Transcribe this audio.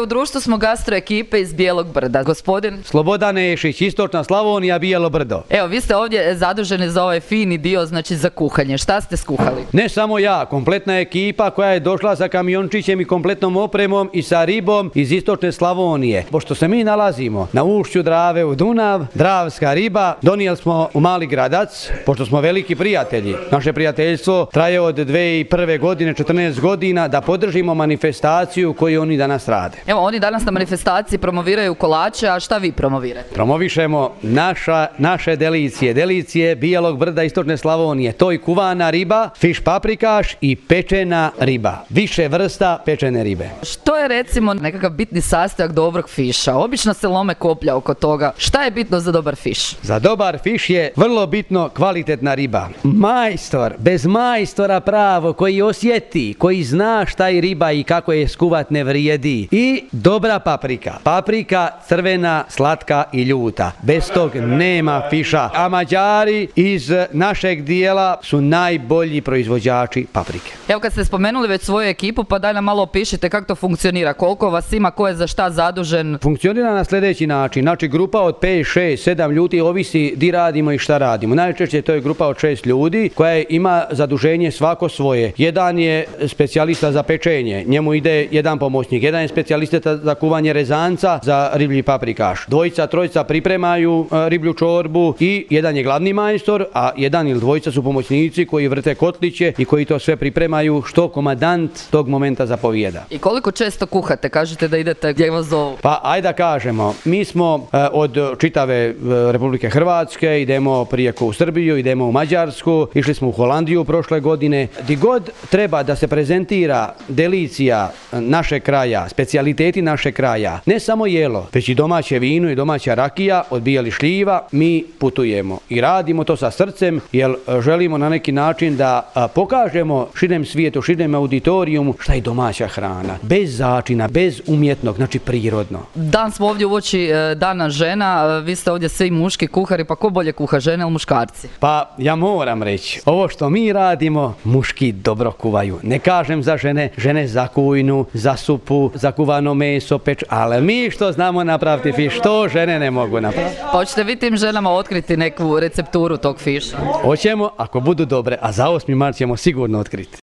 U društvu smo gastro ekipe iz Bijelog Brda. Gospodin Slobodan Nešić, Istočna Slavonija, Bijelo Brdo. Evo, vi ste ovdje zaduženi za ovaj fini dio, znači za kuhanje. Šta ste skuhali? Ne samo ja, kompletna ekipa koja je došla sa kamiončićem i kompletnom opremom i sa ribom iz Istočne Slavonije. Pošto se mi nalazimo na ušću Drave u Dunav, dravska riba, donijeli smo u Mali Gradac, pošto smo veliki prijatelji. Naše prijateljstvo traje od 2001. godine, 14 godina, da podržimo manifestaciju koju oni danas rade. Evo, oni danas na manifestaciji promoviraju kolače, a šta vi promovirate? Promovišemo naše delicije, delicije Bijelog Brda, Istočne Slavonije. To je kuvana riba, fiš paprikaš i pečena riba. Više vrsta pečene ribe. Što je recimo nekakav bitni sastojak dobrog fiša? Obično se lome koplja oko toga. Šta je bitno za dobar fiš? Za dobar fiš je vrlo bitno kvalitetna riba. Majstor, bez majstora pravo, koji osjeti, koji zna šta je riba i kako je skuvat, ne vrijedi. I dobra paprika. Paprika crvena, slatka i ljuta. Bez tog nema fiša. A Mađari iz našeg dijela su najbolji proizvođači paprike. Evo, kad ste spomenuli već svoju ekipu, pa daj nam malo opišite kako to funkcionira. Koliko vas ima, ko je za šta zadužen? Funkcionira na sljedeći način. Znači, grupa od 5, 6, 7 ljudi, ovisi di radimo i šta radimo. Najčešće to je grupa od 6 ljudi koja ima zaduženje svako svoje. Jedan je specijalista za pečenje, njemu ide jedan pomoćnik. Jedan je specijalista za kuvanje rezanca za riblji paprikaš. Dvojica, trojica pripremaju riblju čorbu i jedan je glavni majstor, a jedan ili dvojica su pomoćnici koji vrte kotliće i koji to sve pripremaju što komadant tog momenta zapovijeda. I koliko često kuhate? Kažete da idete gdje vas zovu. Pa ajde da kažemo, mi smo od čitave Republike Hrvatske, idemo prijeko u Srbiju, idemo u Mađarsku, išli smo u Holandiju prošle godine. Di god treba da se prezentira delicija našeg kraja, specijaliteti našeg kraja, ne samo jelo, već i domaće vino i domaća rakija od bijelih šljiva, mi putujemo i radimo to sa srcem, jer želimo na neki način da pokažemo širem svijetu, širem auditorijumu šta je domaća hrana, bez začina, bez umjetnog, znači prirodno. Dan smo ovdje uoči Dana žena, vi ste ovdje svi muški kuhari, pa ko bolje kuha, žene ili muškarci? Pa ja moram reći, ovo što mi radimo, muški dobro kuvaju. Ne kažem za žene, žene za kujnu, za supu, za kuvano meso, ali mi što znamo napraviti fiš, to žene ne mogu napraviti. Pa hoćete vi tim ženama otkriti neku recepturu tog fiša? Hoćemo, ako budu dobre, a za 8. mart ćemo sigurno otkriti.